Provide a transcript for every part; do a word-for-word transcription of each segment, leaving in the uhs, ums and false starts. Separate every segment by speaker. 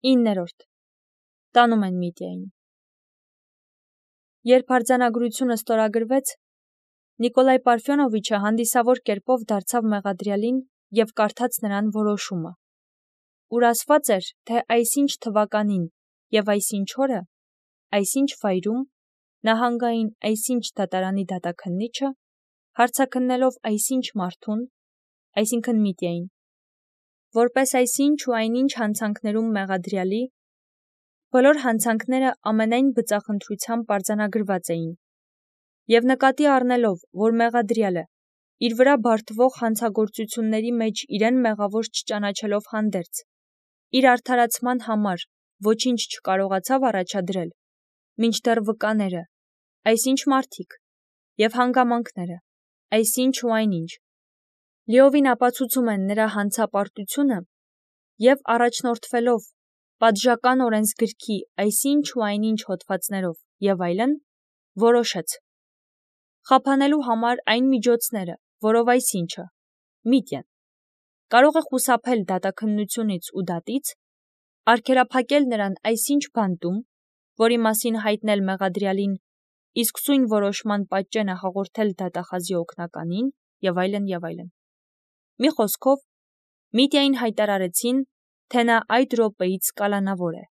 Speaker 1: իններորդ. Տանում են Միտիային։ Երբ արձանագրությունը ստորագրվեց, Նիկոլայ Պարֆյոնովիչը հանդիսավոր կերպով դարձավ մեղադրյալին և կարդաց նրան որոշումը, ուր ասված էր, թե այսինչ թվականին և այսինչ օրը, այսինչ վայրում, նահանգային այսինչ դատարանի դատաքննիչը, հարցաքննելով այսինչ մարդուն, այսինքն Միտիային, որպես այսինչ ու այնինչ հանցանքներում մեղադրյալի, բոլոր հանցանքները ամենայն բծախնդրությամբ արձանագրված էին, և նկատի առնելով, որ մեղադրյալը, իր վրա բարդվող հանցագործությունների մեջ իրեն մեղավոր չճանաչելով հանդերձ, իր արդարացման համար ոչինչ չկարողացավ առաջադրել, մինչդեռ վկաները, այսինչ մարդիկ, և հանգամանքները, այսինչ ու այնինչ, լիովին ապացուցում են նրա հանցապարտությունը և առաջնորդվելով պատժական օրենսգրքի այսինչ ու այնինչ հոդվածներով և այլն, որոշեց. խափանելու համար այն միջոցները, որով այսինչը, Միտյան, կարող է խուսափել դատաքննությունից ու դատից, արգելափակել նրան այսինչ բանտում, որի մասին հայտնել մեղադրյալին, իսկ սույն որոշման պատճենը հաղորդել դատախազի օգնականին և այլն և այլն։ Մի խոսքով, Միտիային հայտարարեցին, թե նա այդ րոպեից կալանավոր է,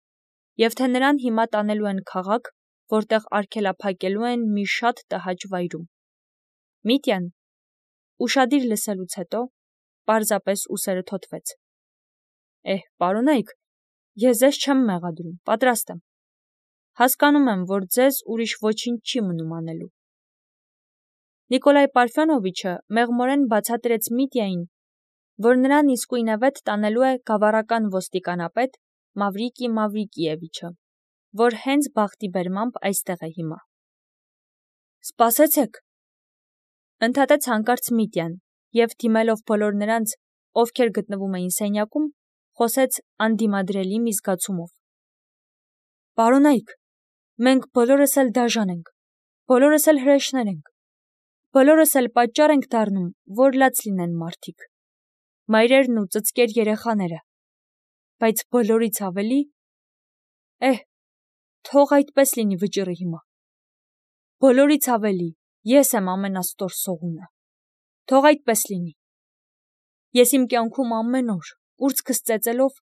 Speaker 1: և թե նրան հիմա տանելու են քաղաք, որտեղ արգելափակելու են մի շատ տհաճ վայրում։ Միտյան, ուշադիր լսելուց հետո, պարզապես ուսերը թոթվեց. Էհ, պարոնայք, ես ձեզ չեմ մեղադրում, պատրաստ եմ։ Հասկանում եմ, որ ձեզ ուրիշ ոչինչ չի մնում անելու։ Նիկոլայ Պարֆյոնովիչը մեղմորեն բացատրեց Միտիային, որ նրան իսկույնևեթ տանելու է գավառական ոստիկանապետ Մավրիկի Մավրիկիևիչը, որ հենց բախտի բերմամբ այստեղ է հիմա։ Սպասեցեք, ընդհատեց հանկարծ Միտյան և դիմելով բոլոր նրանց, ովքեր գտնվում էին սենյակում, խոսեց անդիմադրելի մի զգացումով. Պարոնայք, մենք բոլորս էլ դաժան ենք, բոլորս էլ հրեշներ ենք, բոլորս էլ պատճառ ենք դառնում, որ լաց լինեն մարդիկ, մայրերն ու ծծկեր երեխաները, բայց բոլորից ավելի, էհ, թող այդպես լինի վճիռը հիմա, բոլորից ավելի ես եմ ամենաստոր սողունը, թող այդպես լինի, ես իմ կյանքում ամեն օր, կուրծքս ծեծելով,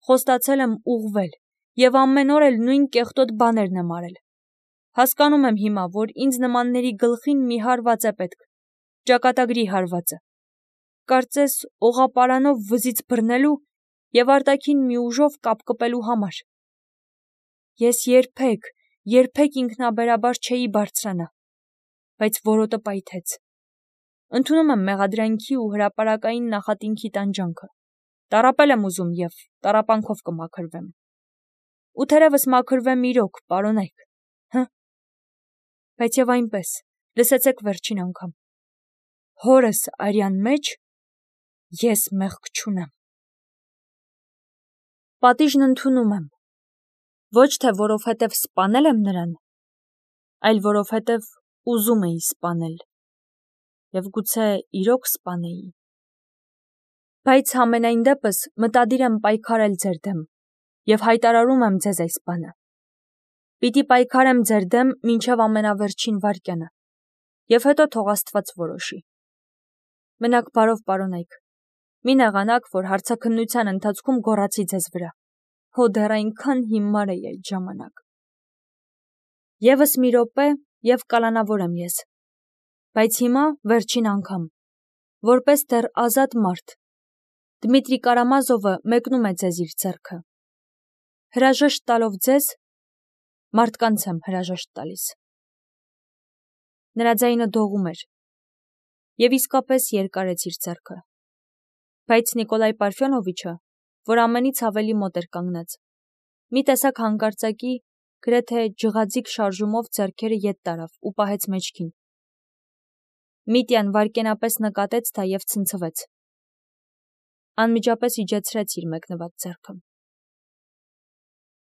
Speaker 1: խոստացել եմ ուղղվել և ամեն օր էլ նույն կեղտոտ բաներն եմ արել, հասկանում եմ հիմա, որ ինձ նմանների գլխին մի հարված է պետք, ճակատագրի հարվածը, կարծես օղապարանով վզից բռնելու և արտաքին մի ուժով կապկպելու համար։ Ես երբեք, երբեք ինքնաբերաբար չէի բարձրանա, բայց որոտը պայթեց։ Ընդունում եմ մեղադրանքի ու հրապարակային նախատինքի տանջանքը, տառապել եմ ուզում և տառապանքով կմաքրվեմ։ Ու թերևս մաքրվեմ իրոք, պարոնայք, հը, բայց և այնպես, լսեցեք վերջին անգամ, հորս արյան մեջ ես մեղք չունեմ։ Պատիժն ընդունում եմ, ոչ թե որովհետև սպանել եմ նրան, այլ որովհետև ուզում էի սպանել, և գուցե իրոք սպանեի։ Բայց համենայն դեպս մտադիր եմ պայքարել ձեր դեմ և հայտարարում եմ ձեզ այս բանը. պիտի պայքարեմ ձեր դեմ մինչև ամենավերջին վայրկյանը, և հետո թող Աստված որոշի։ Մնաք բարով, պարոնայք, մի նեղանաք, որ հարցաքննության ընթացքում գոռացի ձեզ վրա, հո դեռ այնքան հիմար էի այդ ժամանակ։ Եվս մի րոպե և կալանավոր եմ ես, բայց հիմա վերջին անգամ, որպես դեռ ազատ մարդ, Դմիտրի Կարամազովը մեկնում է ձեզ իր ձեռքը, հրաժեշտ տալով ձեզ, մարդկանց եմ հրաժեշտ տալիս։ Նրա ձայնը դողում էր և իսկապես երկարեց իր ձեռքը, բայց Նիկոլայ Պարֆյոնովիչը, որ ամենից ավելի մոտ էր կանգնած, մի տեսակ հանկարծակի, գրեթե ջղաձիգ շարժումով ձեռքերը ետ տարավ ու պահեց մեջքին։ Միտյան վայրկենապես նկատեց դա և ցնցվեց։ Անմիջապես իջեցրեց իր մեկնված ձեռքը։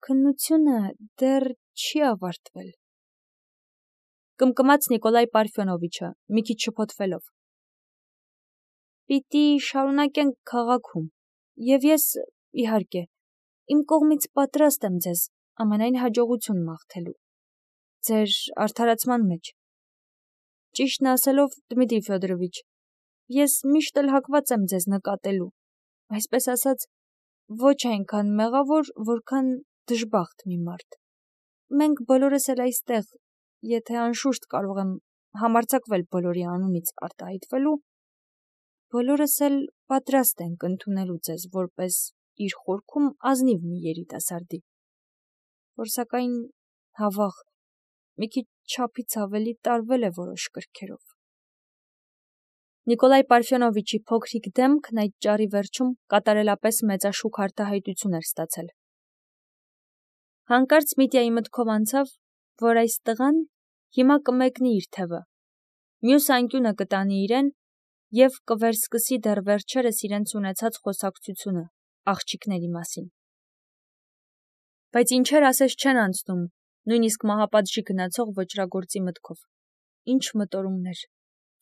Speaker 1: Քննությունը դեռ չի ավարտվել, կմկմաց Նիկոլայ Պարֆյոնովիչը, մի քիչ շփոթվելով։ Պիտի շարունակենք քաղաքում, և ես, իհարկե, Իմ կողմից պատրաստ եմ ձեզ ամենայն հաջողություն մաղթելու ձեր արդարացման մեջ։ Ճիշտն ասելով, Դմիտրի Ֆյոդորովիչ, ես միշտ էլ հակված եմ ձեզ նկատելու, այսպես ասած, ոչ այնքան մեղավոր, որքան դժբախտ մի մարդ։ Մենք բոլորս էլ այստեղ, եթե անշուշտ կարող եմ համարձակվել բոլորի անունից արտահայտվելու, բոլորս էլ պատրաստ ենք ընդունելու ձեզ որպես իր խորքում ազնիվ մի երիտասարդի, որ սակայն հավաղ մի քիչ չափից ավելի տարվել է որոշ կրքերով։ Նիկոլայ Պարֆյոնովիչի փոքրիկ դեմքն այդ ճառի վերջում կատարելապես մեծաշուք արտահայտություն էր ստացել։ Հանկարծ Միտյայի մտքով անցավ, որ այս տղան հիմա կմեկնի իր թևը, մյուս անկյունը կտանի իրեն և կվերսկսի դեռ վերջերս իրենց ունեցած խոսակցությունը աղջիկների մասին։ Բայց ինչեր ասես չեն անցնում, նույնիսկ մահապատժի գնացող ոճրագործի մտքով։ Ինչ մտորումներ,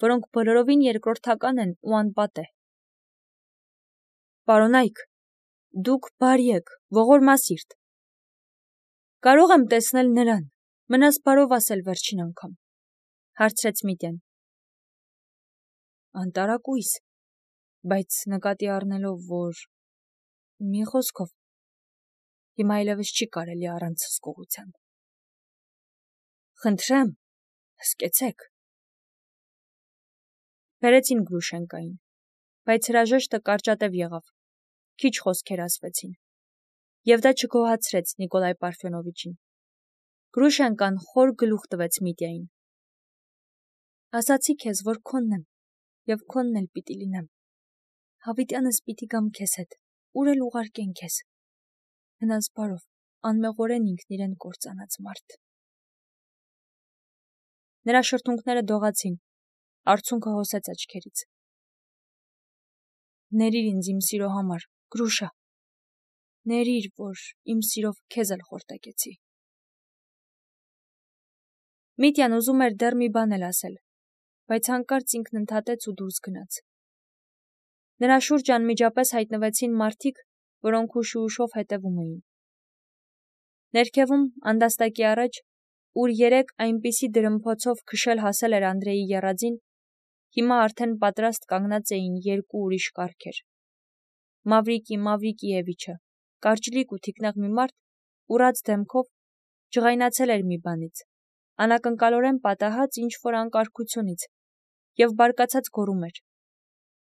Speaker 1: որոնք բոլորովին երկրորդական են ու անպատեհ։ Պարոնայք, դուք բարի եք, ողորմասիրտ։ Կարող եմ տեսնել նրան, մնաս բարով ասել վերջին անգամ, հարցրեց Միտյան։ Անտարակույս, բայց նկատի առնելով, որ մի խոսքով հիմա այլևս չի կարելի առանց հսկողության։ Խնդրեմ, հսկեցեք։ Բերեցին Գրուշենկային, բայց հրաժեշտը կարճատև եղավ, քիչ խոսքեր ասվեցին, և դա չգոհացրեց Նիկոլայ Պարֆյոնովիչին։ Գրուշենկան խոր գլուխ տվեց Միտյային։ Ասացի քեզ, որ քոնն եմ, և քոնն էլ պիտի լինեմ։ Հավիտյանս պիտի գամ քեզ հետ, ուր էլ ուղարկեն քեզ։ Մնաս բարով, անմեղորեն ինքն իրեն կործանած մարդ։ Նրա շրթունքները դողացին, արցունքը հոսեց աչքերից։ Ներիր ինձ իմ սիրո համար, Գրուշա, ներիր, որ իմ սիրով քեզ էլ խորտակեցի։ Միտյան ուզում էր դեռ մի բան էլ ասել, բայց հանկարծ ինքն ընդհատեց ու դուրս գնաց։ Նրա շուրջ անմիջապես հայտնվեցին մարդիկ, որոնք ուշ ու ուշով հետևում էին։ Ներքևում, անդաստակի առաջ, ուր երեկ այնպիսի դրմփոցով քշել հասել էր Անդրեի եռածին, հիմա արդեն պատրաստ կանգնած էին երկու ուրիշ կառքեր։ Մավրիկի Մավրիկիևիչը, կարճլիկ ու թիկնեղ մի մարդ, ուռած դեմքով, ջղայնացել էր մի բանից, անակնկալորեն պատահած ինչ-որ անկարգությունից, և բարկացած գոռում էր։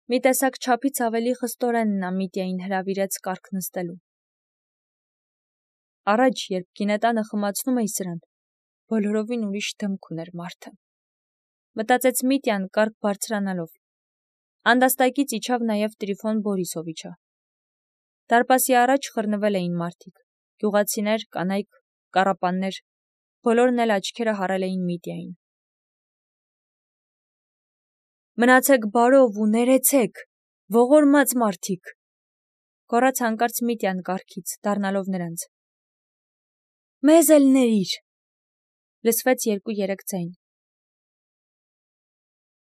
Speaker 1: Մի տեսակ չափից ավելի խստորեն նա Միտյային հրավիրեց կառք նստելու։ Առաջ, երբ գինետանը խմացնում էի սրան, բոլորովին ուրիշ դեմք ուներ մարդը։ Մտածեց Միտյան կառք բարձրանալով։ Անդաստակից իջավ նաև Տրիֆոն Բորիսովիչը։ Դարպասի առաջ խռնվել էին մարդիկ, գյուղացիներ, կանայք, կառապաններ, բոլորն էլ աչքերը հառել էին Միտյային։ Մնացեք բարով ու ներեցեք, ողորմած մարդիկ, գոռաց հանկարծ Միտյան կառքից, դառնալով նրանց։ Մեզ էլ ներիր, լսվեց երկու-երեք ձայն։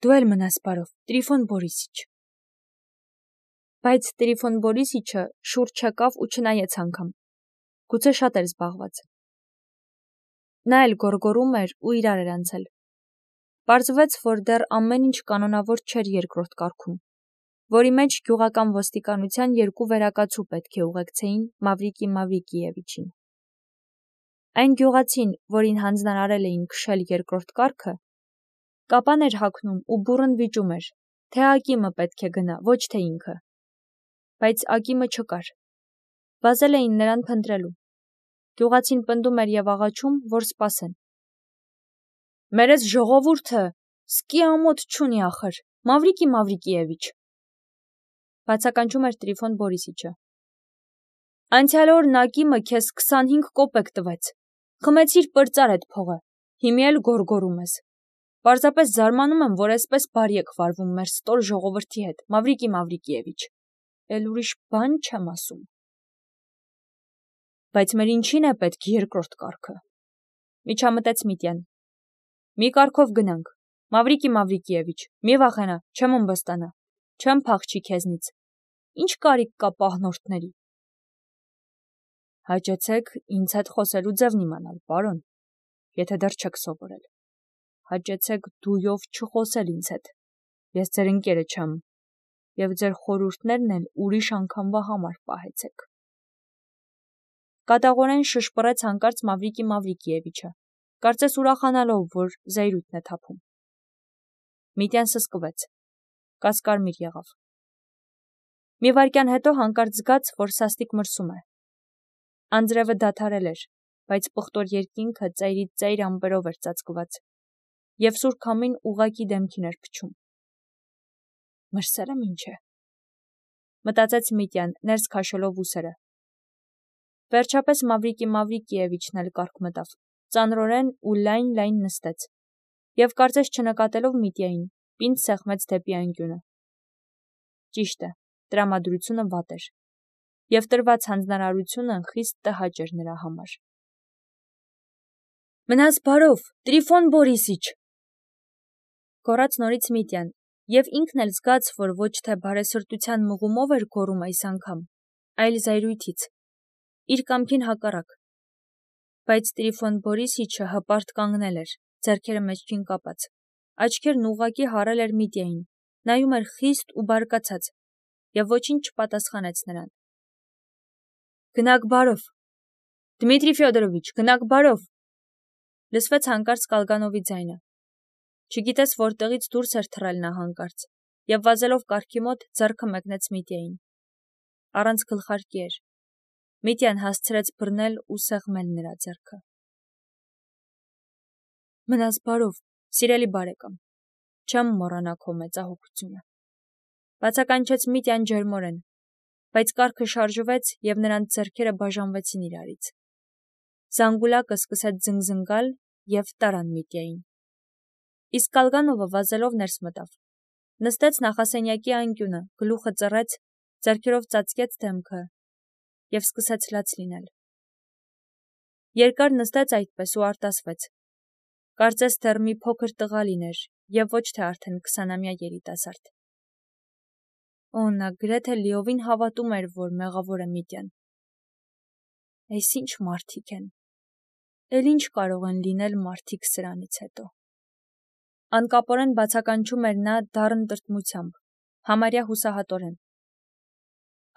Speaker 1: Դու էլ մնաս բարով, Տրիֆոն Բորիսիչ։ Բայց Տրիֆոն Բորիսիչը շուրջ եկավ ու չնայեց անգամ, գուցե շատ էր զբաղված։ Նա էլ գոռգոռում էր ու իրար էր անցել։ Պարզվեց, որ դեռ ամեն ինչ կանոնավոր չէր երկրորդ կարգում, որի մեջ գյուղական ոստիկանության երկու վերակացու պետք է ուղեկցեին Մավրիկի Մավրիկիևիչին։ Այն գյուղացին, որին հանձնարարել էին քշել երկրորդ կառքը, կապան էր հագնում ու բուռն վիճում էր, թե Ակիմը պետք է գնա, ոչ թե ինքը։ Բայց Ակիմը չկար։ Վազել էին նրան փնտրելու։ Գյուղացին պնդում էր և աղաչում, որ սպասեն։ Մերես ժողովուրդը սկի ամոթ չունի ախր, Մավրիկի Մավրիկիևիչ, բացականչում էր Տրիֆոն Բորիսիչը։ Անցյալ օրն Ակիմը քեզ քսանհինգ կոպեկ տվեց, խմեցիր պրծար էդ փողը, հիմի էլ գոռգոռում ես։ Պարզապես զարմանում եմ, որ այսպես բարի եք վարվում մեր ստոր ժողովրդի հետ, Մավրիկի Մավրիկիևիչ, էլ ուրիշ բան չեմ ասում։ Բայց մեր ինչին է պետք երկրորդ կառքը, միջամտեց Միտյան։ Մի կառքով գնանք, Մավրիկի Մավրիկիևիչ, մի վախենա, չեմ ըմբստանա, չեմ փախչի քեզնից, ինչ կարիք կա պահնորդների։ Հաճեցեք ինձ հետ խոսելու ձևն իմանալ, պարոն, եթե դեռ չեք սովորել։ Հաճեցեք դույով չխոսել ինձ հետ։ Ես ձեր ընկերը չեմ, եւ ձեր խորհուրդներն էլ ուրիշ անգամվա համար պահեցեք։ Կատաղորեն շշպռեց հանկարծ Մավրիկի Մավրիկիևիչը, կարծես ուրախանալով, որ զայրույթն է թափում։ Միտյան սսկվեց, կասկարմիր եղավ։ Մի վայրկյան հետո հանկարծ զգաց, որ սաստիկ մրսում է։ Անձրևը դադարել էր, բայց պղտոր երկինքը ծայրից ծայր ամպերով էր ծածկված, եւ սուր քամին ուղղակի դեմքին էր փչում։ Մրսելը ինչ է, մտածեց Միտյան, ներս քաշելով ուսերը։ Վերջապես Մավրիկի Մավրիկիևիչն էլ կառք մտավ, ծանրորեն ու լայն-լայն նստեց, եւ կարծես չնկատելով Միտյային, պինդ սեղմեց դեպի անկյունը։ Ճիշտ է, տրամադրությունը վատ էր, եւ տրված հանձնարարությունը խիստ տհաճ էր նրա համար։ Մնաս բարով, Տրիֆոն Բորիսիչ, գոռաց նորից Միտյան, եւ ինքն էլ զգաց, որ ոչ թե բարեսրտության մղումով էր գոռում այս անգամ, այլ զայրույթից, իր կամքին հակառակ։ Բայց Տրիֆոն Բորիսիչը հպարտ կանգնել էր, ձեռքերը մեջքին կապած, աչքերն ուղղակի հառել էր Միտյային, նայում էր խիստ ու բարկացած, եւ ոչինչ չպատասխանեց նրան։ Գնաք բարով, Դմիտրի Ֆյոդորովիչ, գնաք բարով, լսվեց հանկարծ Կալգանովի ձայնը։ Չգիտես որտեղից դուրս էր թռել նա հանկարծ, եւ վազելով կառքի մոտ ձեռքը մեկնեց Միտյային։ Առանց գլխարկի էր։ Միտյան հասցրեց բռնել ու սեղմել նրա ձեռքը։ Մնաս բարով, սիրելի բարեկամ, չեմ մոռանա քո մեծահոգությունը, բացականչեց Միտյան ջերմորեն, բայց կառքը շարժվեց եւ նրանց ձեռքերը բաժանվեցին իրարից։ Զանգուլակը սկսեց զնգզնգալ եւ տարան Միտյային։ Իսկ Կալգանովը վազելով ներս մտավ, նստեց նախասենյակի անկյունը, գլուխը ծռեց, ձեռքերով ծածկեց դեմքը եւ սկսեց լաց լինել։ Երկար նստեց այդպես ու արտասվեց։ Կարծես դեռ մի փոքր տղա լիներ եւ ոչ թե արդեն քսանամյա երիտասարդ։ Օ, նա գրեթե լիովին հավատում էր, որ մեղավոր է Միտյան։ Այս ինչ մարդիկ են։ Էլ ինչ կարող են լինել մարդիկ սրանից հետո։ Անկապորեն բացականչում էր նա դառն տրտմությամբ, համարյա հուսահատորեն։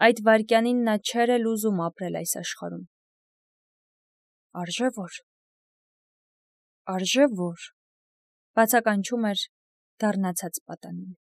Speaker 1: Այդ վայրկյանին նա չէր էլ ուզում ապրել այս աշխարհում։ Արժե որ։ Արժե որ, բացականչում էր դառնացած պատանին։